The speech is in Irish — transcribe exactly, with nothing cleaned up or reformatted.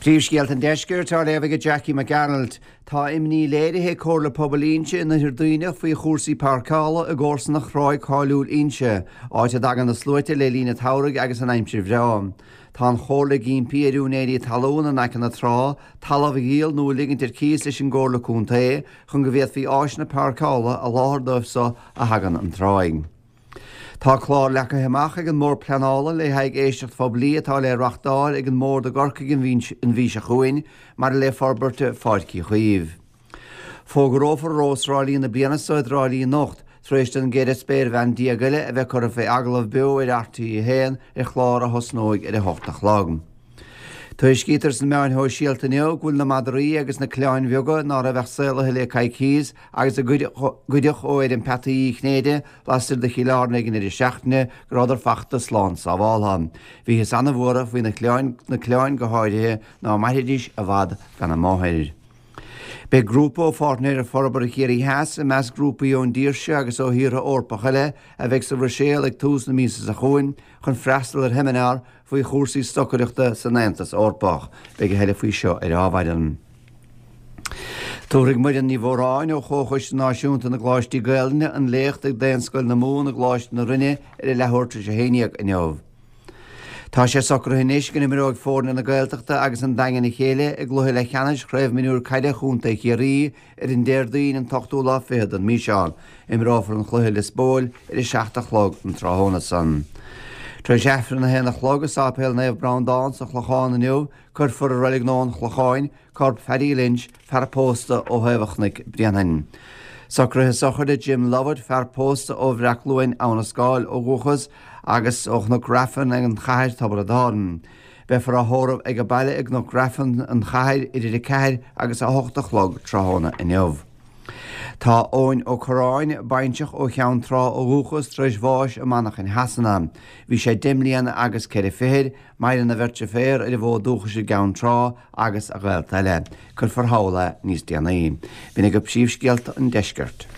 Príomhscéalta an Deiscirt á léamh ag Jackie McArnold. Tá imní léirithe ag Comhairle Pobail Inse in Oirthear Duibhneach faoi chúrsaí páirceála i gcomharsanacht thráigh cáiliúil Inse, áit a dtagann na sluaite le linn an tsamhraidh agus an aimsir bhreá. Tá an chomhairle ag impí ar úinéirí talún in aice na trá, talamh a dhíol nó a ligint ar cíos leis an gComhairle Contae chun go bhféadfaí áiseanna páirceála a sholáthar dóibh so a thagann an tráigh. Tá clár leagtha amach ag an mBord Pleanála le haghaidh éisteacht phoiblí atá le reáchtáil ag an mBord i gCorcaigh an mhí seo chugainn maidir le forbairt Pháirc Uí Chaoimh. Fógrófar Rós Thrá Lí na bliana seo i dTrá Lí anocht, tar éis don gceithre spéirbhean déag eile a bheith curtha fé agallamh beo ar RTÉ a haon ar chlár a thosnóidh ar a hocht a chlog. Tuairiscítear sna meáin shóisialta inniu go bhfuil na madraí agus na coileáin bheaga ná raibh ach saolaithe le coicíos agus a goideadh ó fheirm peataí Uí Chinnéide lastoir de Chill Airne ag an deireadh seachtaine go rabhadar fachta slán sábháltha. Bhíothas an-bhuartha faoi na coileáin, na coileáin go háirithe, ná mairfidís i bhfad gan a máthair. Beidh grúpa ó Pháirtnéireacht Forbartha Chiarraí Theas i measc grúpaí ón dtír seo agus ó thíortha Eorpacha eile a bheidh sa Bhruiséil ag tús na míosa seo chugainn chun freastal ar sheimineár faoi chúrsaí stocaireachta san Aontas Eorpach. Beidh a thuilleadh faoi seo ar Adhmhaidin. Tabharfaidh Muireann Ní Mhóráin ó Chomhchoiste Náisiúnta na gColáistí Gaelainne an léacht ag Daonscoil na Mumhan i gColáiste na Rinne ar a leathuair tar éis a haon dhéag inniu. Tá sé socraithe anois go n-imreoidh foirne na Gaeltachta agus an Daingin a chéile i gcluiche leathcheannais Chraobh Mionúr Caide Chontae Chiarraí ar an Déardaoin an t-ochtú lá fichead den mhí seo. Imreofar an chluiche i Lios Póil ar a seacht a chlog an tráthnóna san. Tar éis Aifreann a haon a chlog i Sáipéal Naomh Breandán sa Chlochán inniu, cuirfear i Reilig Nua an Chlocháin corp Phaddy Lynch, fear pósta ó thaobh an Chnoic Bréanainn. Socruithe sochraide Jim Lovett, fear pósta ó Bhreachluain, Abha na Scáil ó dhúchas agus ó Chnoc Raifin an Chathair, Tiobraid Árann. Beifear á thórramh ag baile i gCnoc Raifin, an Chathair, idir a ceathair agus a hocht a chlog tráthnóna inniu. Tá Eoin Ó Corráin, bainseach ó Cheann Trá ó dhúchas, tar éis bháis i Manchain Shasana. Bhí sé deich mbliana agus ceithre fichid. Maireann a bheirt deirféar ar an bhfód dúchais i gCeann Trá agus a ghaolta eile. Cuirfear thall é níos déanaí. B'in agaibh príomhscéalta an deiscirt.